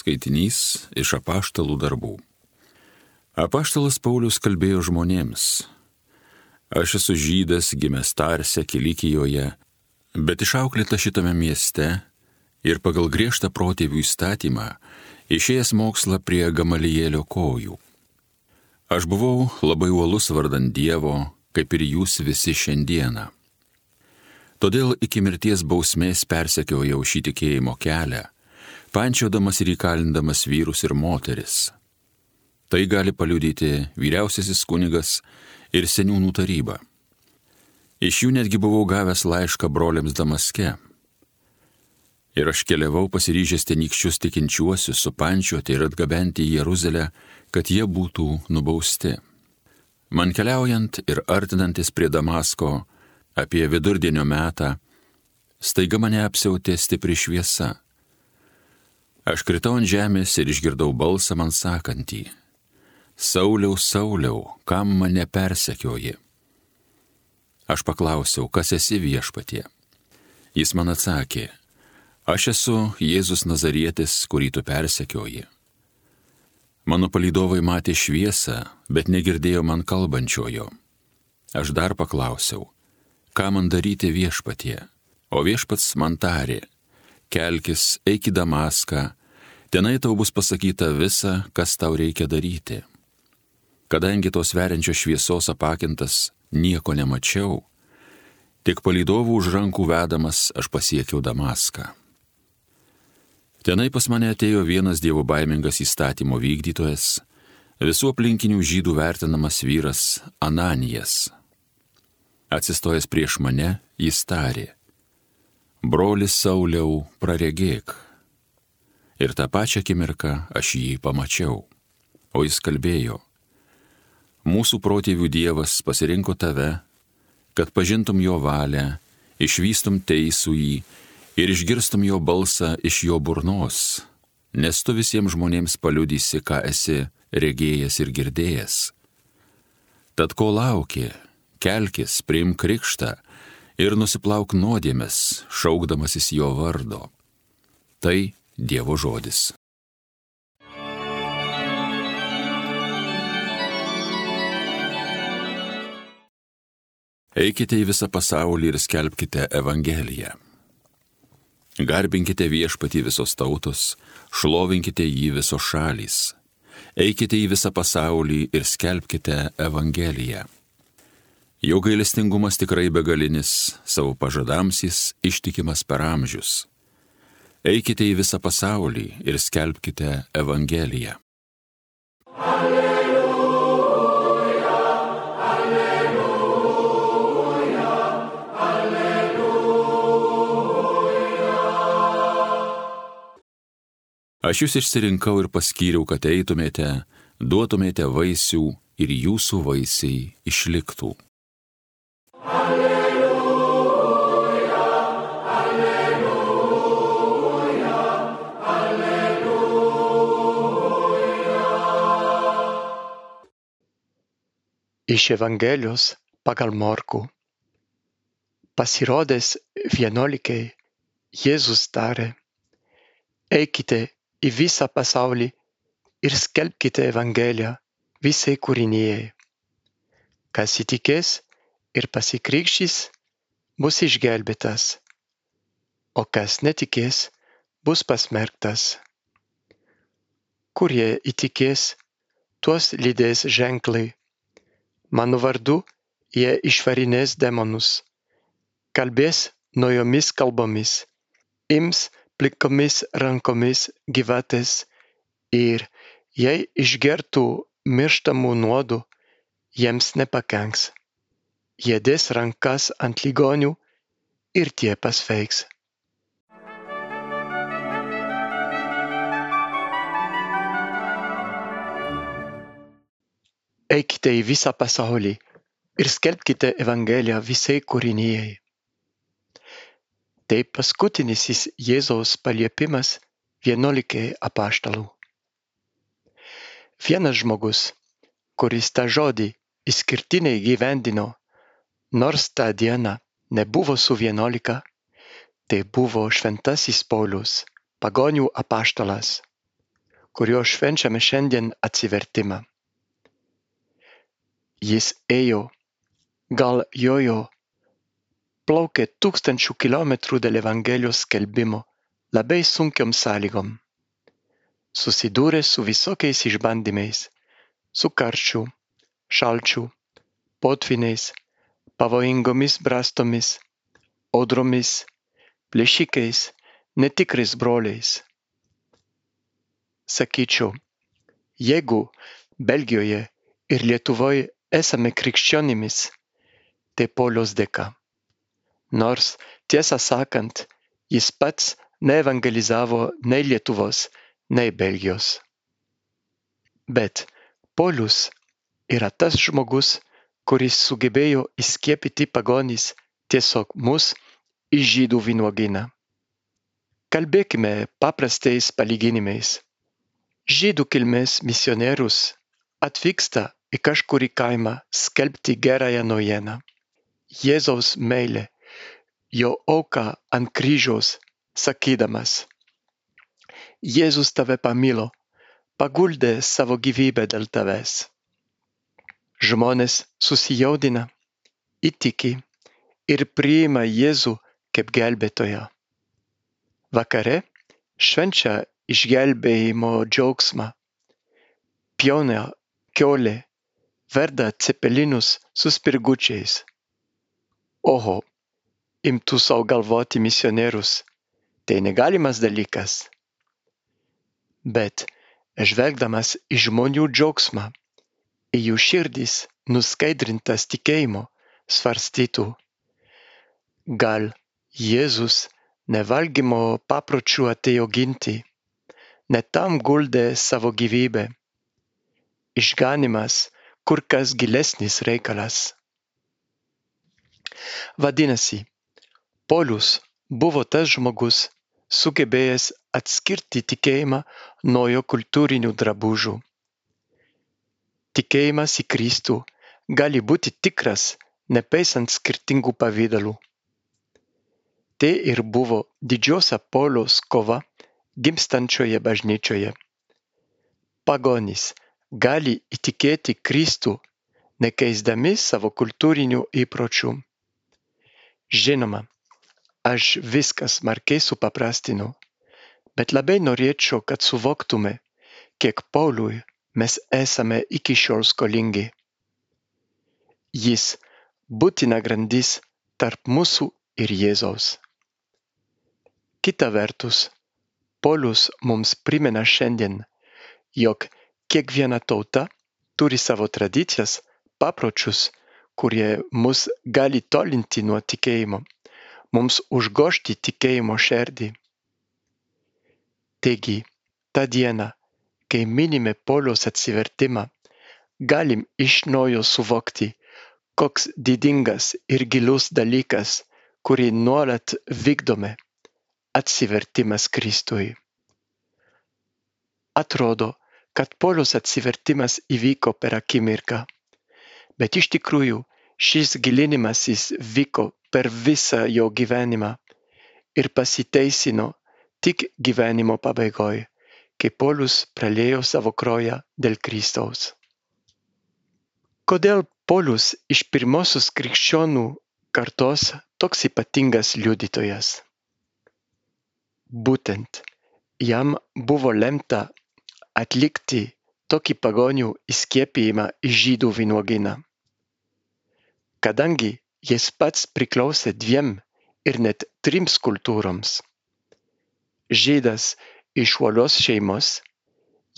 Skaitinys iš Apaštalų darbų. Apaštalas Paulius kalbėjo žmonėms: Aš esu žydas, gimęs Tarse, Kilikijoje, bet išauklėta šitame mieste ir pagal griežtą protėvių įstatymą išėjęs mokslą prie Gamalielio kojų. Aš buvau labai uolus vardan Dievo, kaip ir jūs visi šiandieną. Todėl iki mirties bausmės persekiojau šį tikėjimo kelią, pančiodamas ir įkalindamas vyrus ir moteris. Tai gali paliudyti vyriausiasis kunigas ir seniūnų taryba. Iš jų netgi buvau gavęs laišką broliams Damaske. Ir aš keliavau pasiryžęs tenykščius tikinčiuosius supančioti ir atgabenti į Jeruzalę, kad jie būtų nubausti. Man keliaujant ir artinantis prie Damasko apie vidurdienio metą, staiga mane apsiautė stipri šviesa. Aš kritau ant žemės ir išgirdau balsą man sakantį: Sauliau, Sauliau, kam mane persekioji? Aš paklausiau: Kas esi, Viešpatie? Jis man atsakė: Aš esu Jėzus Nazarietis, kurį tu persekioji. Mano palydovai matė šviesą, bet negirdėjo man kalbančiojo. Aš dar paklausiau: Ką man daryti, Viešpatie? O Viešpats man tarė: Kelkis, eik į Damaską, tenai tau bus pasakyta visa, kas tau reikia daryti. Kadangi tos veriančios šviesos apakintas nieko nemačiau, tik palydovų už rankų vedamas aš pasiekiau Damaską. Tenai pas mane atėjo vienas dievobaimingas įstatymo vykdytojas, visų aplinkinių žydų vertinamas vyras Ananijas. Atsistojęs prieš mane, jis tarė: Brolis Sauliau, praregėk. Ir tą pačią akimirką aš jį pamačiau. O jis kalbėjo: Mūsų protėvių Dievas pasirinko tave, kad pažintum jo valią, išvystum teisųjį ir išgirstum jo balsą iš jo burnos, nes tu visiems žmonėms paliudysi, ką esi regėjęs ir girdėjęs. Tad ko lauki, kelkis, priimk krikštą ir nusiplauk nuodėmes, šaukdamasis jo vardo. Tai Dievo žodis. Eikite į visą pasaulį ir skelbkite Evangeliją. Garbinkite Viešpatį visos tautos, šlovinkite jį visos šalys. Eikite į visą pasaulį ir skelbkite Evangeliją. Jo gailestingumas tikrai begalinis, savo pažadams jis ištikimas per amžius. Eikite į visą pasaulį ir skelbkite Evangeliją. Alleluja, alleluja, alleluja. Aš jūs išsirinkau ir paskyriau, kad eitumėte, duotumėte vaisių ir jūsų vaisiai išliktų. Iš Evangelijos pagal Morkų. Pasirodęs 11, Jėzus tarė: Eikite į visą pasaulį ir skelbkite Evangeliją visai kūrinijai. Kas įtikės ir pasikrikštys, bus išgelbėtas, o kas netikės, bus pasmerktas. Kurie įtikės, tuos lydės ženklai. Mano vardu jie išvarinės demonus, kalbės naujomis kalbomis, ims plikomis rankomis gyvates ir jei išgertų mirštamų nuodų, jiems nepakenks. Jie dės rankas ant ligonių ir tie pasveiks. Eikite į visą pasaulį ir skelbkite Evangeliją visai kūrinijai. Tai paskutinis Jėzaus paliepimas 11 apaštalų. Vienas žmogus, kuris tą žodį išskirtinai gyvendino, nors tą dieną nebuvo su 11, tai buvo šventasis Paulius, pagonių apaštalas. kurio švenčiame šiandien atsivertimą. Jis ėjo, gal jojo, plaukė 1000 kilometrų dėl Evangelijos skelbimo labai sunkiom sąlygom. Susidūrė su visokiais išbandymais, su karščiu, šalčiu, potviniais, pavojingomis brastomis, audromis, plėšikais, netikrais broliais. Sakyčiau, jeigu Belgijoje ir Lietuvoje esame krikščionimis, tai Pauliaus dėka. Nors, tiesą sakant, jis pats neevangelizavo nei Lietuvos, nei Belgijos. Bet Paulius yra tas žmogus, kuris sugebėjo įskiepyti pagonis tiesiog mus į žydų vynuogyną. Kalbėkime paprastais palyginimais. Žydų kilmės misionierius atvyksta į kažkurį kaimą skelbti gerąją naujieną. Jėzaus meilė, jo auką ant kryžiaus, sakydamas: Jėzus tave pamilo, paguldė savo gyvybę dėl tavęs. Žmonės susijaudina, įtiki ir priima Jėzų kaip gelbėtoją. Vakare švenčia išgelbėjimo džiaugsmą. Pjauna kiaulė, verda cepelinus su spirgučiais. Oho, imtų sau galvoti misionierius, tai negalimas dalykas. Bet, žvelgdamas į žmonių džiaugsmą, į jų širdis nuskaidrintas tikėjimo, svarstytų: gal Jėzus nevalgymo papročių atėjo ginti, ne tam guldė savo gyvybę. Išganymas kur kas gilesnis reikalas. Vadinasi, Paulius buvo tas žmogus, sugebėjęs atskirti tikėjimą nuo jo kultūrinių drabužių. Tikėjimas į Kristų gali būti tikras, nepaisant skirtingų pavydalų. Tai ir buvo didžiosia Pauliaus kova gimstančioje bažnyčioje. Pagonys gali įtikėti Kristų, nekeisdami savo kultūrinių įpročių. Žinoma, aš viskas smarkiai supaprastinu, bet labai norėčiau, kad suvoktume, kiek Pauliui mes esame iki šiol skolingi. Jis būtina grandis tarp mūsų ir Jėzaus. Kita vertus, Paulius mums primena šiandien, jog kiekviena tauta turi savo tradicijas, papročius, kurie mus gali tolinti nuo tikėjimo, mums užgožti tikėjimo širdį. Taigi, tą dieną, kai minime Pauliaus atsivertimą, galim iš naujo suvokti, koks didingas ir gilus dalykas, kurį nuolat vykdome, atsivertimas Kristui. Atrodo, kad Pauliaus atsivertimas įvyko per akimirką, bet iš tikrųjų šis gilinimasis vyko per visą jo gyvenimą ir pasiteisino tik gyvenimo pabaigoje, kai Paulius praliejo savo kraują dėl Kristaus. Kodėl Paulius iš pirmosios krikščionų kartos toks ypatingas liudytojas? Būtent jam buvo lemta atlikti tokį pagonių įskiepijimą į žydų vynuogyną. Kadangi jis pats priklausė 2 ir net 3 kultūroms. Žydas iš uolios šeimos,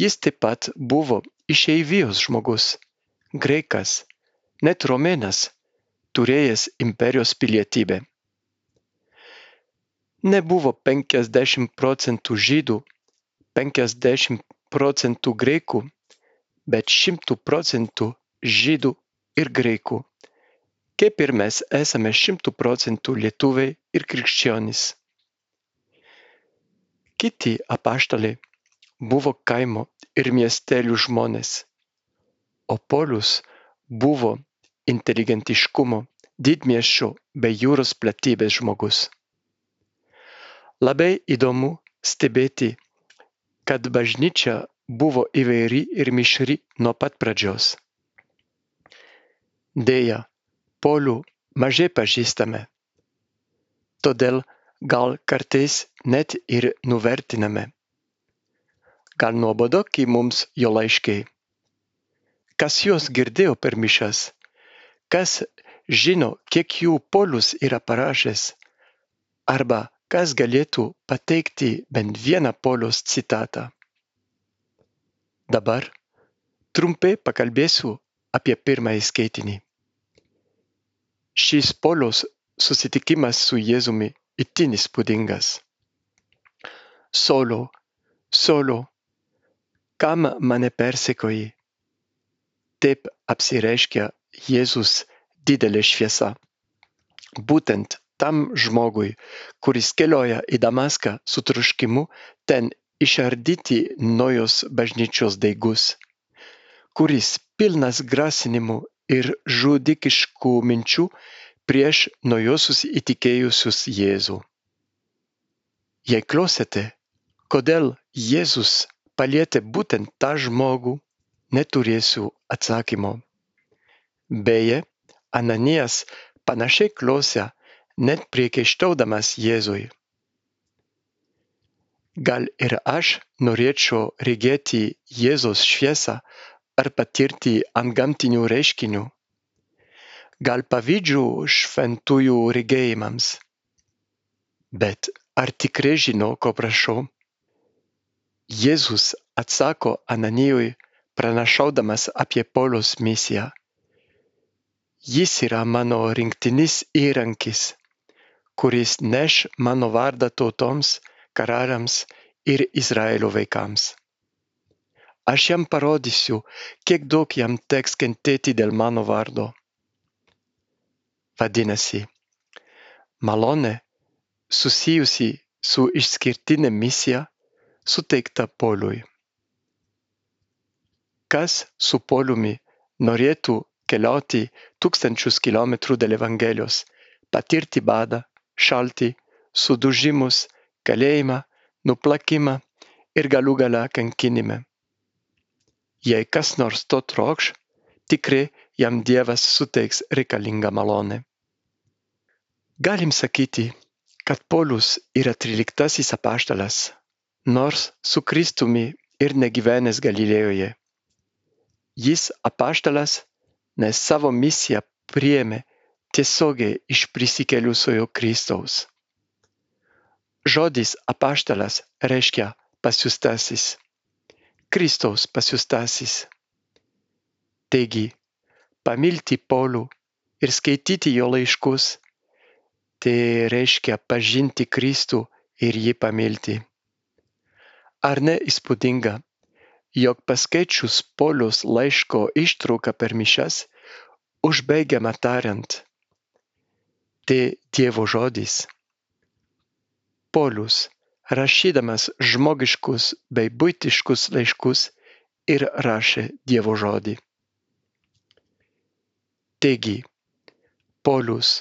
jis taip pat buvo išeivijos žmogus, graikas, net romėnas, turėjęs imperijos pilietybę. Nebuvo 50% žydų, 50% graikų, bet 100% žydų ir graikų, kaip ir mes esame 100% lietuviai ir krikščionys. Kiti apaštalai buvo kaimo ir miestelių žmonės, o Paulius buvo inteligentiškumo, didmiesčio bei jūros platybės žmogus. Labai įdomu stebėti, kad bažnyčia buvo įvairi ir mišri nuo pat pradžios. Deja, Paulių mažai pažįstame, todėl gal kartais net ir nuvertiname. Gal nuobodoki mums jo laiškai. Kas juos girdėjo per mišias? Kas žino, kiek jų Paulius yra parašęs? Arba kas galėtų pateikti bent vieną Pauliaus citatą? Dabar trumpai pakalbėsiu apie pirmąjį skaitinį. Šis Pauliaus susitikimas su Jėzumi itin įspūdingas. Solo, kam mane persekioji? Taip apsireiškia Jėzus didelė šviesa. Būtent tam žmogui, kuris kelioja į Damaską su troškimu ten išardyti naujos bažnyčios daigus, kuris pilnas grasinimų ir žudikiškų minčių prieš naujosius įtikėjusius Jėzų. Jei klausėte, kodėl Jėzus palietė būtent tą žmogų, neturėsiu atsakymo. Beje, Ananijas panašiai klausė, net priekaištaudamas Jėzui. Gal ir aš norėčiau regėti Jėzaus šviesą ar patirti antgamtinių reiškinių? Gal pavydžiu šventųjų regėjimams? Bet ar tikrai žinau, ko prašau? Jėzus atsako Ananijui, pranašaudamas apie Pauliaus misiją. Jis yra mano rinktinis įrankis, kuris neš mano vardą tautoms, karaliams ir Izraelio vaikams. Aš jam parodysiu, kiek daug jam teks kentėti dėl mano vardo. Vadinasi, malonė susijusi su išskirtine misija suteikta Pauliui. Kas su Pauliumi norėtų keliauti 1000 kilometrų dėl Evangelijos, patirti badą, šaltį, sudužimus, kalėjimą, nuplakimą ir galų gale kankinimą? Jei kas nors to trokš, tikrai jam Dievas suteiks reikalingą malonę. Galim sakyti, kad Paulius yra 13 apaštalas, nors su Kristumi ir negyvenęs Galilėjoje. Jis apaštalas, nes savo misiją priėmė tiesiogiai iš prisikėlusiojo Kristaus. Žodis apaštalas reiškia pasiųstasis, Kristaus pasiųstasis. Taigi, pamilti Paulių ir skaityti jo laiškus, tai reiškia pažinti Kristų ir jį pamilti. Ar ne įspūdinga, jog paskaičius Pauliaus laiško ištrauką per mišias, užbaigiama tariant, tai Dievo žodis. Paulius, rašydamas žmogiškus bei buitiškus laiškus, ir rašė Dievo žodį. Taigi, Paulius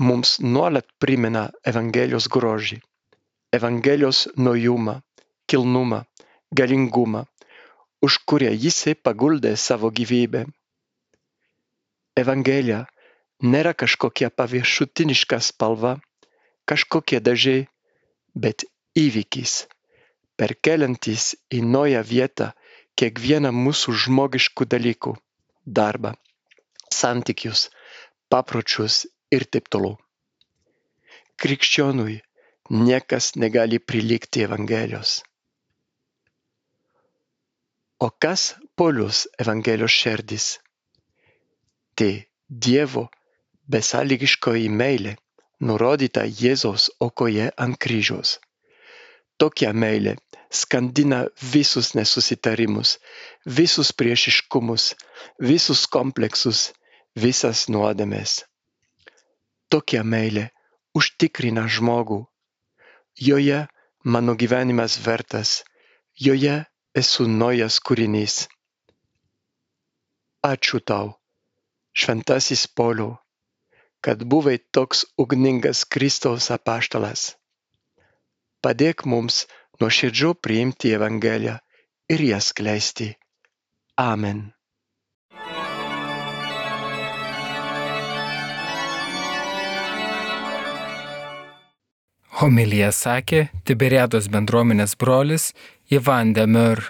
mums nuolat primena Evangelijos grožį, Evangelijos naujumą, kilnumą, galingumą, už kurią jisai paguldė savo gyvybę. Evangelija nėra kažkokia paviršutiniška spalva, kažkokie dažai, bet įvykis, perkeliantis į naują vietą kiekvieną mūsų žmogiškų dalykų, darbą, santykius, papročius ir taip toliau. Krikščionui niekas negali prilygti Evangelijos. O kas Pauliaus Evangelijos šerdis? Tai Dievo besąlygiškoji meilė, nurodyta Jėzaus aukoje ant kryžiaus. Tokia meilė skandina visus nesusitarimus, visus priešiškumus, visus kompleksus, visas nuodėmes. Tokia meilė užtikrina žmogų. Joje mano gyvenimas vertas, joje esu naujas kūrinys. Ačiū tau, šventasis Pauliau, kad buvai toks ugningas Kristaus apaštalas. Padėk mums nuoširdžiau priimti Evangeliją ir jas skleisti. Amen. Homiliją sakė Tiberiados bendruomenės brolis Ivan de Meur.